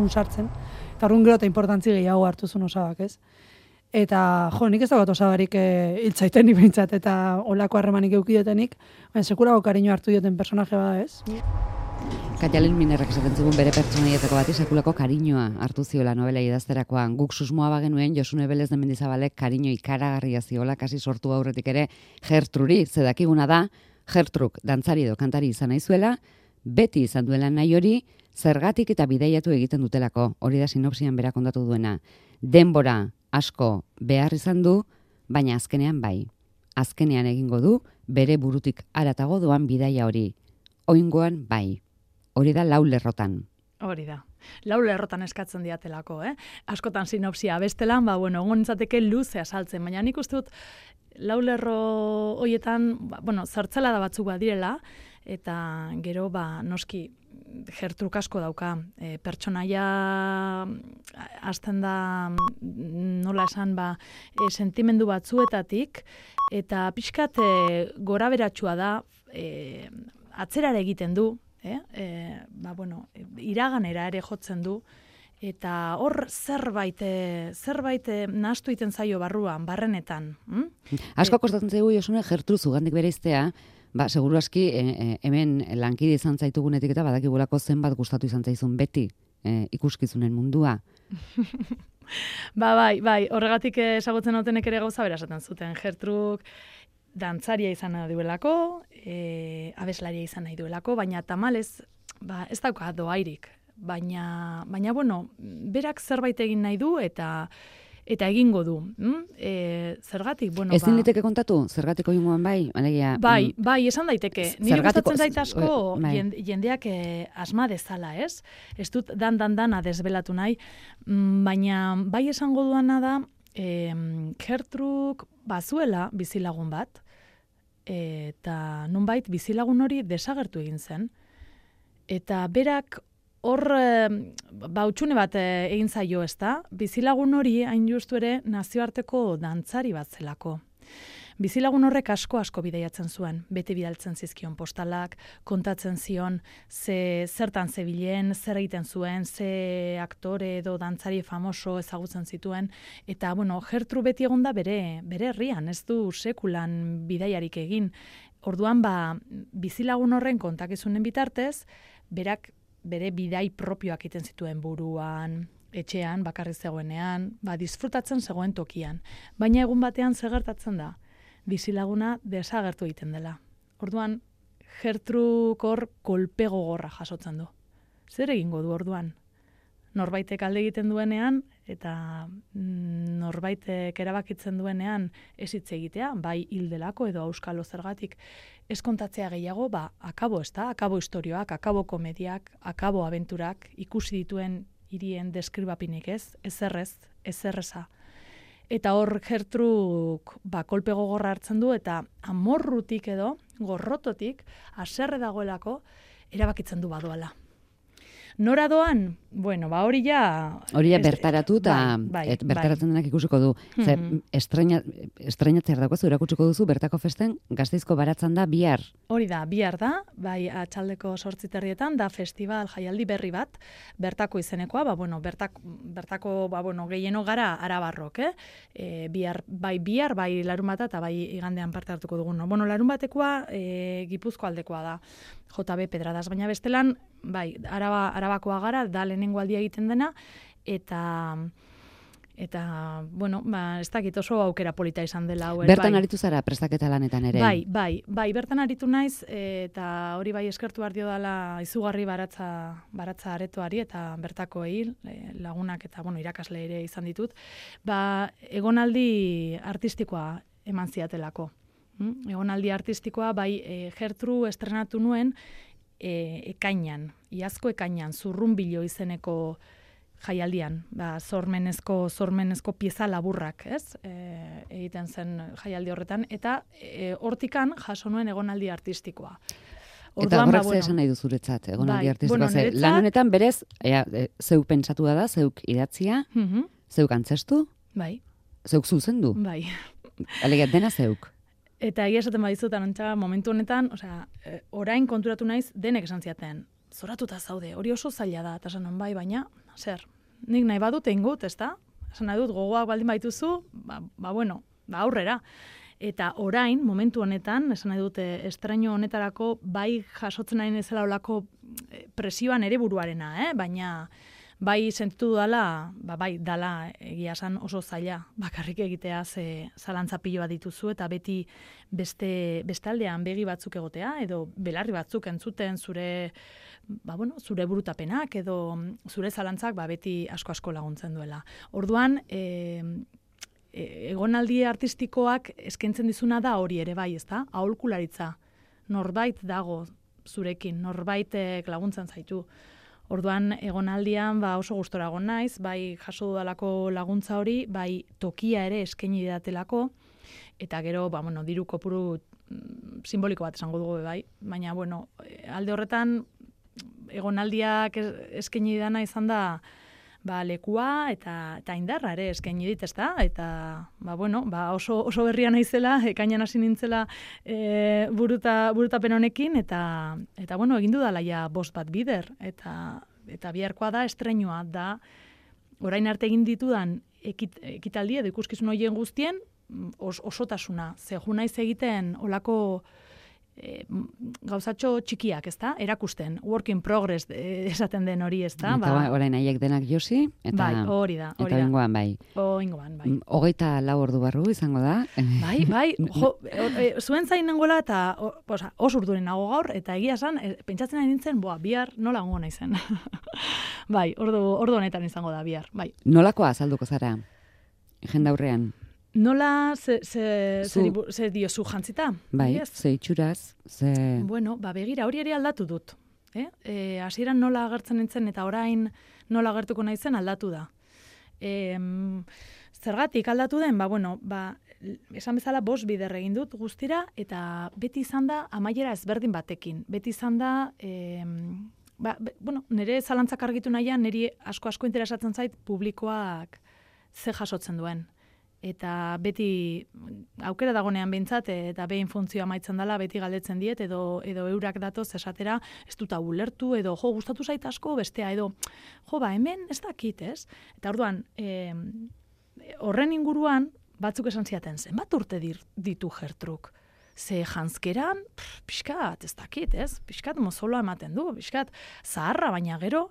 sartzen. Eta orduan gero eta importantzi gehiago hartu zuen Osabak, ez? Eta, nik ez dagoet Osabarik hiltzaitenik behintzat, eta olako harremanik eukiotenik, baina sekulako kariño hartu dioten personaje bada, ez? Katialen Minerrak esaten zigun bere pertsonaietako bati sekulako kariñoa hartu ziola novela idazterakoan. Guk susmoa bagenuen Josune Belez de Mendizabalek kariño ikaragarria ziola kasi sortu aurretik ere Gertruri, zedakiguna da, Gertruk dantzari edo kantari izan nahi zuela, beti izan duela nahi hori, zergatik eta bidaiatu egiten dutelako, hori da sinopsian berak kontatu duena. Denbora asko behar izan du, baina azkenean bai. Azkenean egingo du, bere burutik haratago doan bidaia hori. Oingoan bai. Hori da 4 lerrotan. Hori da. 4 lerrotan eskatzen diatelako, Askotan sinopsia bestelan, egon nintzateke luze azaltzen, baina nik uste dut 4 lerro horietan, zertzela da batzuk badirela, eta gero, noski, Gertruk asko dauka. Pertsonaia hasten da, nola esan, sentimendu batzuetatik, eta pixkat gora beratsua da, atzerara egiten du, iraganera ere jotzen du, eta hor zerbait nahastu egiten zaio barrenetan. Asko kostatzen zaigu Josune Gertru zugandik bereiztea, seguru aski hemen lankide izan zaitugunetik eta badakigulako zenbat gustatu izan zaizun beti ikuskizunen mundua. Bai, horregatik ezagutzen autenek ere gauza bera esaten zuten. Gertruk dantzaria izan nahi duelako, abeslaria izan nahi duelako, baina tamalez, ez dauka doairik. Baina, berak zerbait egin nahi du eta egingo du. Zergatik, Ezin liteke kontatu? Zergatik oingoan bai? Bai, esan daiteke. Nire gustatzen zait asko jendeak asma dezala, ez? Ez dut dan desbelatu nahi, baina bai esango duana da, Gertruk bazuela bizilagun bat, eta nonbait bizilagun hori desagertu egin zen, eta berak hor hutsune bat egin zaio, ezta? Bizilagun hori hain justu ere nazioarteko dantzari bat zelako. Bizilagun horrek asko bidaiatzen zuen, beti bidaltzen zizkion postalak, kontatzen zion zertan zebilen, zer egiten zuen, ze aktore edo dantzari famoso ezagutzen zituen, eta Gertru beti egonda bere herrian, ez du sekulan bidaiarik egin. Orduan bizilagun horren kontakizunen bitartez, berak bere bidai propioak egiten zituen buruan, etxean, bakarrik zegoenean, disfrutatzen zegoen tokian. Baina egun batean zer gertatzen da? Bizilaguna desagertu egiten dela. Orduan, Gertruk hor kolpe gogorra jasotzen du. Zer egingo du orduan? Norbaitek alde egiten duenean, eta norbaitek erabakitzen duenean ez hitz egitea, bai hildelako edo auskalo zergatik, ez kontatzea gehiago, akabo ez da, akabo istorioak, akabo komediak, akabo abenturak, ikusi dituen hirien deskribapinik ezerreza. Eta hor Gertruk kolpe gogorra hartzen du, eta amorrutik edo, gorrototik, haserre dagoelako, erabakitzen du badoala. Nora doan? Hori ja... Hori ja bertaratu eta bertaratzen denak ikusiko du. Estreinatzea dagozu, erakutsiko duzu, bertako festen Gasteizko Baratzan da bihar. Hori da, bihar da, atxaldeko 8:00 da festival jaialdi berri bat, bertako izenekoa, bertako gehieno gara arabarrok, bihar bai larunbata eta bai igandean parte hartuko dugun. Larunbatekoa Gipuzko aldekoa da, JB Pedradas, baina bestelan, Arabakoa gara, da lehenengo aldia egiten dena, eta ez dakit oso aukera polita izan dela. Bertan aritu zara prestaketa lanetan ere? Bai, bertan aritu naiz, eta hori bai eskertu behar dio dela izugarri baratza aretoari, eta bertakoei lagunak eta irakasle ere izan ditut, egonaldi artistikoa eman ziatelako. Egonaldi artistikoa, Gertru estrenatu nuen, ekainan, iazko ekainan, Zurrunbilo izeneko jaialdian, sormenezko pieza laburrak, ez? Egiten zen jaialdi horretan, eta hortikan jaso nuen egonaldi artistikoa. Eta horrek zer esan nahi duzuretzat, egonaldi artistikoa. Lan honetan berez, zeuk pentsatu da, zeuk idatzia, zeuk antzestu, zeuk zuzendu. Alegia dena zeuk. Eta egia esaten badizutan, momentu honetan, orain konturatu naiz denek esan ziaten. zoratuta zaude, hori oso zaila da, eta esan bai, baina, zer, nik nahi badut egin gut, ezta? Esan nahi dut, gogoak baldin baituzu, aurrera. Eta orain, momentu honetan, esan nahi dute, estraino honetarako bai jasotzen nahi nezela olako presioan ere buruarena, baina bai sentitu dala, bai dala egia esan oso zaila bakarrik egitea ze zalantza pilo bat dituzu eta beti beste aldean begi batzuk egotea edo belarri batzuk entzuten zure zure burutapenak edo zure zalantzak beti asko laguntzen duela. Orduan, egonaldi artistikoak eskaintzen dizuna da hori ere bai, ezta? Aholkularitza. Norbait dago zurekin, norbaitek laguntzen zaitu. Orduan egonaldian oso gustora egon naiz, bai jaso dudalako laguntza hori, bai tokia ere eskaini didatelako eta gero diru kopuru simboliko bat esango dugu bai, baina alde horretan egonaldiak eskaini didana izan da lekua eta indarra ere eskaini dit, ezta? Eta oso berria naizela, ekainan hasi nintzela burutapen honekin eta egin dudala ja 5 bat bider eta biharkoa da estreinua da orain arte egin ditudan ekitaldi edo ikuskizun horien guztien osotasuna. Ze jo naiz egiten olako gauzatxo txikiak, ezta? Erakusten, work in progress esaten den hori, ezta? Eta orain haiek denak josi, eta hori da. Eta oingoan bai. 24 ordu barru izango da. Bai, zuen zain nengoela eta oso urduren nago gaur, eta egia esan, pentsatzen ari nintzen, bihar nola gongo naizen. Bai, ordu honetan izango da bihar, bai. Nolakoa azalduko zara, jendaurrean? Nola ze diozu jantzita? Bai, ze itxuraz, ze... Begira, hori ere aldatu dut. Hasieran nola agertzen nintzen eta orain nola agertuko naizen aldatu da. Zergatik aldatu den? Esan bezala 5 bider egin dut guztira eta beti izan da amaiera ezberdin batekin. Beti izan da... nire zalantzak argitu nahian, niri asko interesatzen zait publikoak ze jasotzen duen. Eta beti aukera dagonean behintzat eta behin funtzioa amaitzen dela beti galdetzen diet edo eurak datoz esatera ez dut ulertu edo gustatu zait asko bestea edo hemen ez dakit, ez? Eta orduan horren inguruan batzuk esan ziaten zenbat urte ditu Gertruk? Ze janzkeran, pixkat, ez dakit, ez? Pixkat mozoloa ematen du, pixkat zaharra, baina gero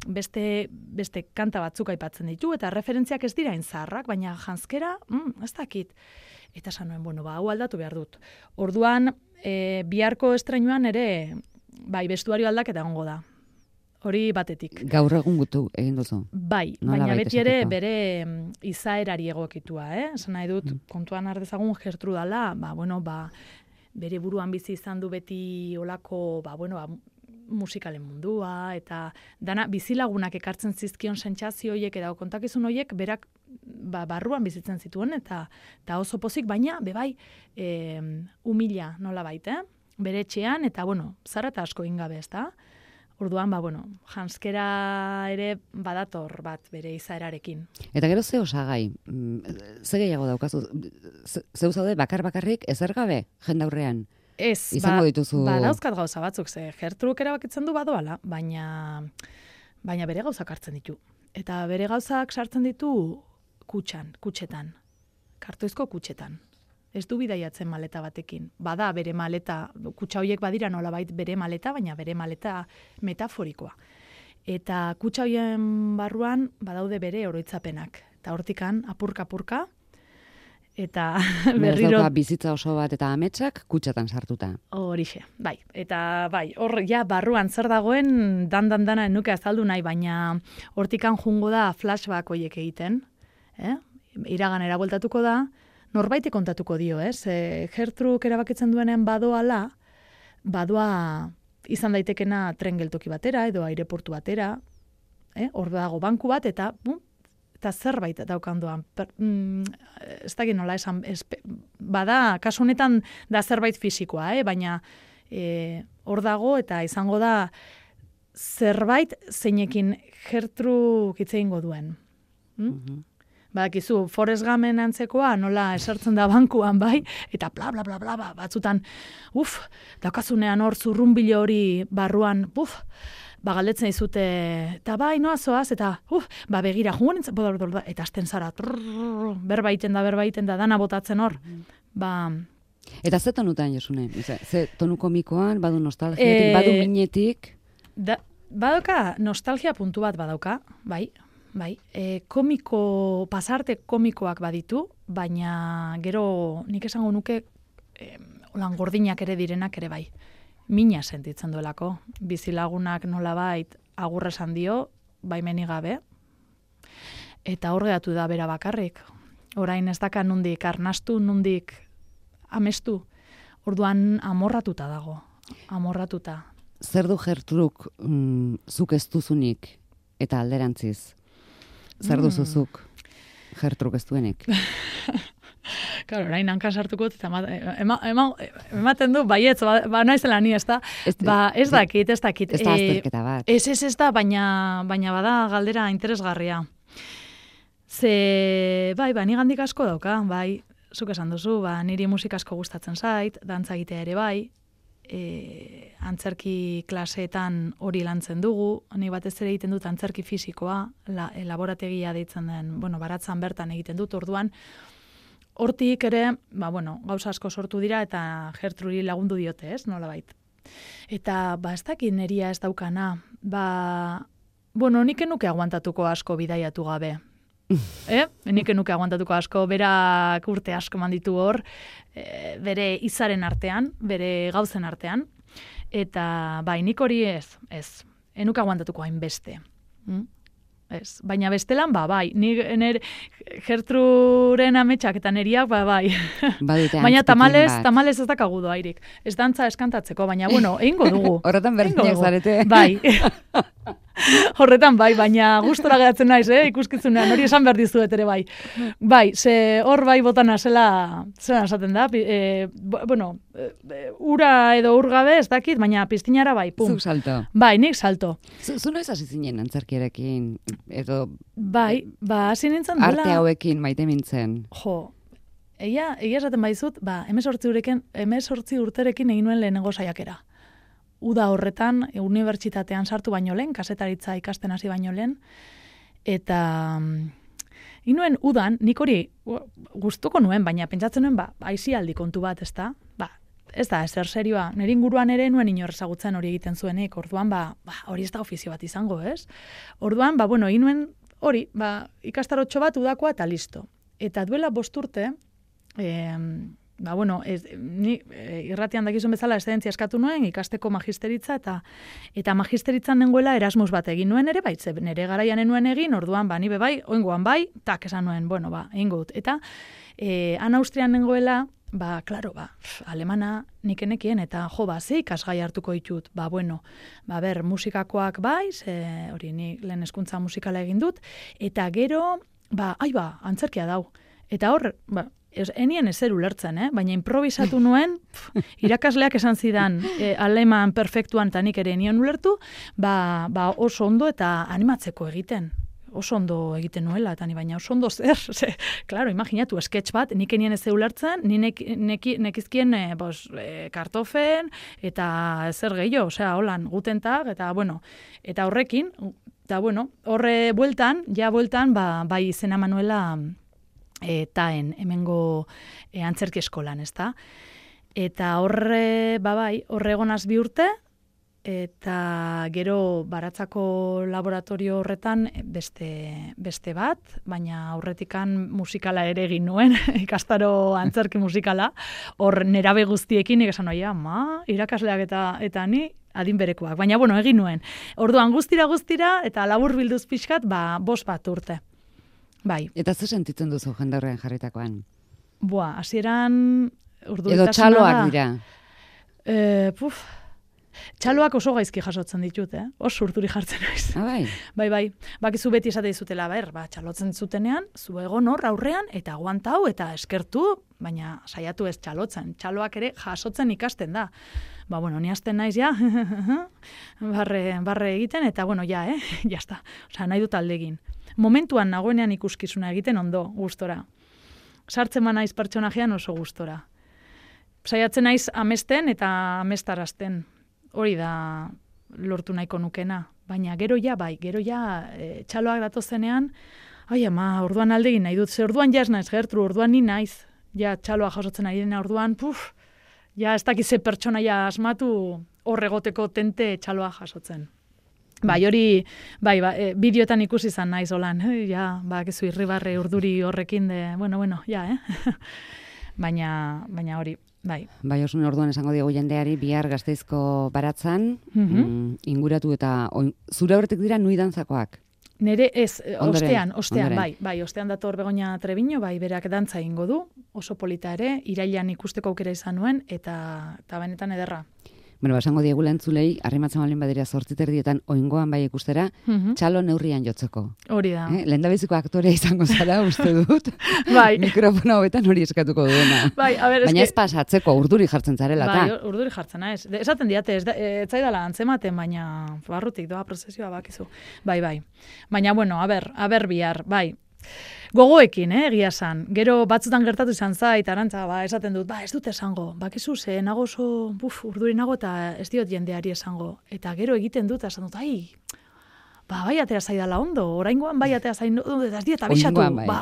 beste kanta batzuk aipatzen ditu, eta referentziak ez dira zaharrak, baina janzkera, ez dakit. Eta esan nuen, hau aldatu behar dut. Orduan, biharko estreinuan ere, bestuario aldaketa egongo da. Hori batetik. Gaur egun gutu egin duzu. Bai, baina beti ere bere izaerari egokitua, Esan nahi dut, kontuan ardezagun Gertrudala, bere buruan bizi izan du beti olako, musikalen mundua, eta dana bizilagunak ekartzen zizkion sentsazio horiek eta kontakizun horiek berak barruan bizitzen zituen, eta oso pozik, baina bebai humila nola baita, bere etxean, eta zara eta asko ingabe, ez da? Orduan, janzkera ere badator bat bere izaerarekin. Eta gero ze osagai, ze gehiago daukazu, zeu zaude bakarrik ezer gabe jendaurrean? Ez, izango dituzu... dauzkat gauza batzuk, ze Gertruk erabakitzen du badoala, baina bere gauzak hartzen ditu. Eta bere gauzak sartzen ditu kutxetan, kartoizko kutxetan. Ez du bidaiatzen maleta batekin. Bada bere maleta, kutxa horiek badira nolabait bere maleta, baina bere maleta metaforikoa. Eta kutxa horien barruan badaude bere oroitzapenak. Eta hortikan apurka, eta berriro... dauka bizitza oso bat eta ametsak kutxatan sartuta. Horixe, bai. Eta hor barruan zer dagoen dana nuke azaldu nahi, baina hortikan jungo da flashback horiek egiten. Iraganera bueltatuko da, norbaite kontatuko dio, Gertruk erabakitzen duenean badoa izan daitekena tren geltoki batera edo aireportu batera, hor dago banku bat eta zerbait daukandoan. Ez dakit nola esan, bada, kasu honetan da zerbait fisikoa, baina hor dago eta izango da zerbait zeinekin Gertruk hitz egingo duen. Badakizu, Forrest Gumpen antzekoa, nola esertzen da bankuan, bai, eta bla, bla, bla, bla, batzutan, daukazunean hor zurrunbilo hori barruan, galdetzen dizute, eta bai, noa zoaz, eta, begira, jungo nintzen, eta hasten zara, berbaiten da, dana botatzen hor, Eta ze tonutan, Josune? Ze tonu komikoan, badu nostalgiatik, badu minetik? Badauka, nostalgia puntu bat badauka, bai. Pasarte komikoak baditu, baina gero nik esango nuke holan gordinak ere direnak ere bai. Mina sentitzen duelako. Bizilagunak nolabait agurra esan dio, baimenik gabe. Eta hor geratu da bera bakarrik. Orain ez daka nundik arnastu, nundik amestu. Orduan amorratuta dago. Amorratuta. Zer du Gertruk zuk ez duzunik eta alderantziz? Zer duzuzuk Gertruk ez duenik? Claro, orain hankan sartuko eta ematen du, baietz, naizela ni, ez da? Ez dakit. Ez da azterketa bat. Ez da, baina bada galdera interesgarria. Ni gandik asko dauka, bai, zuk esan duzu, niri musika asko gustatzen zait, dantza egitea ere bai, antzerki klaseetan hori lantzen dugu, ni batez ere egiten dut antzerki fisikoa, laborategia deitzen den, baratzan bertan egiten dut, orduan, hortik ere, gauza asko sortu dira eta Gertruri lagundu diote, ez, nolabait. Eta, ez dakit neria ez daukana, nik enuke aguantatuko asko bidaiatu gabe. Nik enuke aguantatuko asko, berak urte asko manditu hor, bere izaren artean, bere gauzen artean, eta nik hori ez, enuke aguantatuko hainbeste. Ez, baina bestelan, bai, nire Gertruren ametsak eta neriak, bai. Baina tamalez ez dakagu doairik. Ez dantza eskantatzeko, baina, egingo dugu. Horretan berdinak zarete. Bai. Horretan bai, baina gustora geratzen naiz, ikuskitzunean, hori esan behar dizuet ere bai. Bai, ze hor bai botana zela esaten da, ura edo urgabe ez dakit, baina piztinara bai, pum. Zuk salto. Bai, nik salto. Zu noiz hasi zinen antzerkiarekin, edo... Bai, hasi nintzen dela... Arte hauekin maite mintzen. Jo, egia esaten baizut, 18 urterekin egin nuen lehenengo saiakera. Uda horretan, unibertsitatean sartu baino lehen, kasetaritza ikasten hasi baino lehen, eta inuen udan, nik hori gustuko nuen, baina pentsatzen nuen, aisialdi kontu bat, ez da? Ez da, ezer serioa. Nire inguruan ere nuen inorrezagutzen hori egiten zuenik, orduan, hori ez da ofizio bat izango, ez? Orduan, inuen hori, ikastarotxo bat udakoa eta listo. Eta duela 5 urte, ni irratian dakizun bezala eszedentzia eskatu nuen, ikasteko magisteritza, eta magisteritza nengoela Erasmus bat egin nuen ere, nire garaian nuen egin, orduan, ni bebai, oingoan bai, tak esan nuen, egingo dut. Eta, han Austrian nengoela, alemana nik enekien, eta ze ikasgai hartuko ditut, musikakoak bai, hori ni lehen hezkuntza musikala egin dut, eta gero, antzerkia dau. Eta hor, enien ezer ulertzen, baina improvisatu nuen, irakasleak esan zidan aleman perfektuan eta nik ere enien ulertu, oso ondo eta animatzeko egiten. Oso ondo egiten nuela, eta baina oso ondo zer. Claro, imaginatu, sketch bat, nik enien ez ulertzen, nekizkien kartofen, eta zer gehiago, holan, gutentag, eta eta horrekin, eta horre bueltan, bai izena manuela, taen, hemengo antzerki eskolan, ez da? Eta horre egonaz 2 urte, eta gero baratzako laboratorio horretan beste bat, baina aurretikan musikala ere egin nuen, ikastaro antzerki musikala, hor nerabe guztiekin, nik esan irakasleak eta ni adin berekoak, baina egin nuen. Orduan guztira, eta labur bilduz pixkat, 5 urte. Bai. Eta ze sentitzen duzu jendarrean jarritakoan? Hasieran edo txaloak dira? Txaloak oso gaizki jasotzen ditut, oso urturi jartzen naiz. Bai. Bakizu beti esate dizutela, txalotzen zutenean, zu egon hor aurrean, eta aguantau, eta eskertu, baina saiatu ez txalotzen. Txaloak ere jasotzen ikasten da. Ni hasten naiz, barre egiten, eta, jazta. Nahi dut alde egin. momentuan nagoenean ikuskizuna egiten ondo, gustora. Sartzen naiz pertsonajean oso gustora. Saiatzen naiz amesten eta amestarazten. Hori da lortu nahiko nukena. Baina gero ja, txaloak datozenean, ai ama, orduan aldegin nahi dut, ze orduan ja ez naiz Gertru, orduan ni naiz. Ja txaloa jasotzen ari dena orduan, ja ez dakize pertsonaia asmatu horregoteko tente txaloa jasotzen. Bai, hori, bideotan ikusi izan naiz holan, ja, kizu irribarre urduri horrekin bueno, ja, baina hori, bai. Bai, Osune, orduan esango diegu jendeari, bihar Gasteizko baratzan, inguratu eta zure horretik dira nui dantzakoak? Nere ez, ostean, bai, ostean dator Begoña Treviño, bai, berak dantza egingo du, oso polita ere, irailean ikusteko aukera izan nuen, eta benetan ederra. Bueno, esango diegu lentzulei, arrimatzen balin badira 8:30 oingoan bai ikustera, txalo neurrian jotzeko. Hori da. Lehendabiziko aktorea izango zara, uste dut. Bai. Mikrofona hobetan hori eskatuko duena. Bai, a ver, baina ez pasatzeko, urduri jartzen zarela, bai, urduri jartzen, ez. Esaten diate, ez zaidala antzematen, baina barrutik doa prozesioa bakizu. Bai. Baina, bueno, a ber bihar, bai. Gogoekin, egia esan. Gero batzutan gertatu izan zait, Arantza, esaten dut, ez dut esango. Bakizu, ze nago oso, urduri nago eta ez diot jendeari esango. Eta gero egiten dut, esan dut, bai atera zaidala ondo, oraingoan bai atera zaidala, eta ez diet abisatu.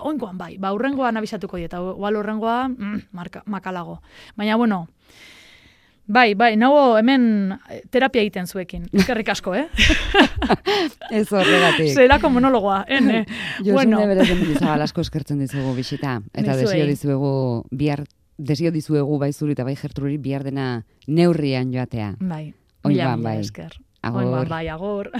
Oingoan bai. Urrengoan abisatuko diet, igual urrengoa makalago. Baina, bueno, bai, nago hemen terapia egiten zuekin. Eskerrik asko, Ez horregatik. Zelako monologoa, Josune berezen Mendizabal asko eskertzen dizugu bisita. Eta desio dizuegu bai zuri eta bai Gertruri bihar dena neurrian joatea. Bai, oingoan bai. Esker. Oingoan bai, agor.